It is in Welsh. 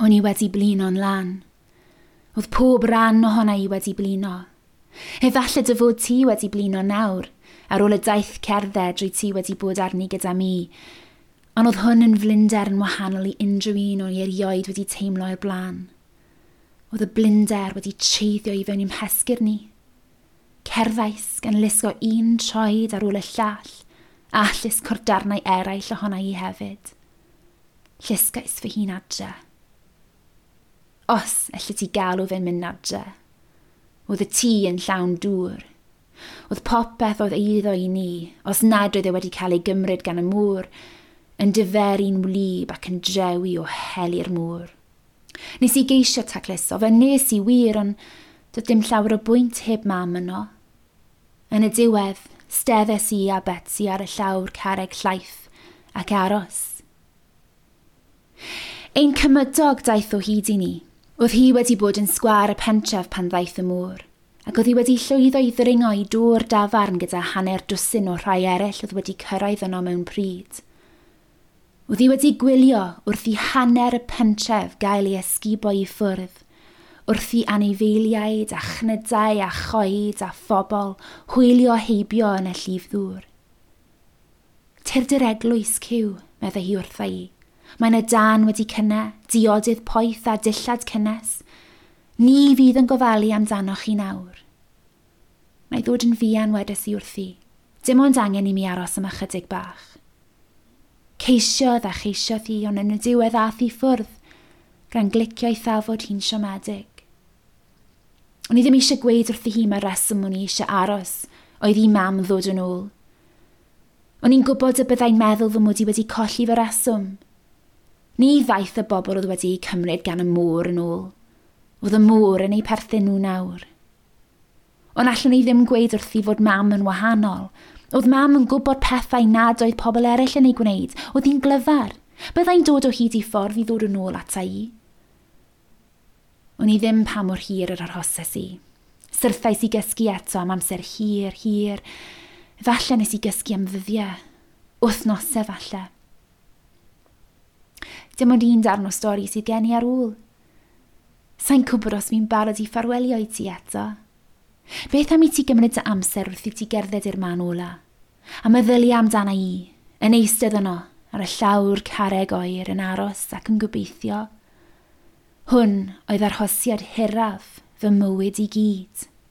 O'n i wedi blino'n lan. Oedd pob ran ohona i wedi blino. Efallai dy fod ti wedi blino nawr, ar ôl y daith cerdded drwy ti wedi bod arni gyda mi. Ond oedd hwn yn flinder yn wahanol i unrhyw un o'n i erioed wedi teimlo o'r blaen. Oedd y blinder wedi treiddio i fewn i'm hesgyrn i. Cerddais gan lusgo un troed ar ôl y llall, a llusgo'r darnau eraill ohona i hefyd. Llusgais fy hun adre. Os elli ti galw fe'n mynd adre. Oedd y tŷ yn llawn dŵr. Oedd popeth oedd eiddo i ni, os nad oedd e wedi cael ei gymryd gan y môr, yn diferu'n wlyb ac yn drewi o heli'r môr. Nes i geisio tacluso fe, nes i wir, ond doedd dim llawer o bwynt heb mam yno. Yn y diwedd, steddes i a Betsy ar y llawr carreg llaith ac aros. Ein cymydog daeth o hyd i ni. Oedd hi wedi bod yn sgwâr y pentref pan ddaeth y môr, ac oedd hi wedi llwyddo i ddringo i dŵr dafarn gyda hanner dwsin o rhai eraill oedd wedi cyrraedd yno mewn pryd. Oedd hi wedi gwylio wrth i hanner y pentref gael ei ysgubo i ffwrdd, wrth i anifeiliaid a chnydau a choed a phobl hwylio heibio yn y llif ddŵr. Tyrd i'r eglwys, Cyw, meddai hi wrtha i. Mae 'na dân wedi cynne, diodydd poeth a dillad cynnes. Ni fydd yn gofalu amdanoch chi nawr. Na i ddod yn fuan, wedes i wrthi. Dim ond angen i mi aros am ychydig bach. Ceisiodd a cheisiodd hi, ond yn y diwedd ath i ffwrdd, gan glicio ei thafod hi'n siomedig. O'n i ddim eisiau gweud wrthi hi mae'r reswm o'n i eisiau aros oedd i mam ddod yn ôl. O'n i'n gwybod y byddai'n meddwl fy mod i wedi colli fy reswm. Ni ddaeth y bobl oedd wedi eu cymryd gan y môr yn ôl. Oedd y môr yn eu perthyn nhw nawr. Ond allwn i ddim gweud wrthi fod mam yn wahanol. Oedd mam yn gwybod pethau nad oedd pobl eraill yn eu gwneud. Oedd hi'n glyfar. Byddai'n dod o hyd i ffordd i ddod yn ôl ata i. O'n i ddim pa mor hir yr arhoses i. Syrthais i gysgu eto am amser hir, hir. Falle nes i gysgu am ddyddiau. Wythnosau falle. Dim ond un darn o stori sydd gen i ar ôl. Sa'n gwybod os fi'n barod i ffarwelio i ti eto. Beth am i ti gymryd dy amser wrth i ti gerdded i'r man ola? A meddylia amdana i, yn eistedd yno, ar y llawr carreg oer yn aros ac yn gobeithio. Hwn oedd arhosiad hiraf fy mywyd i gyd.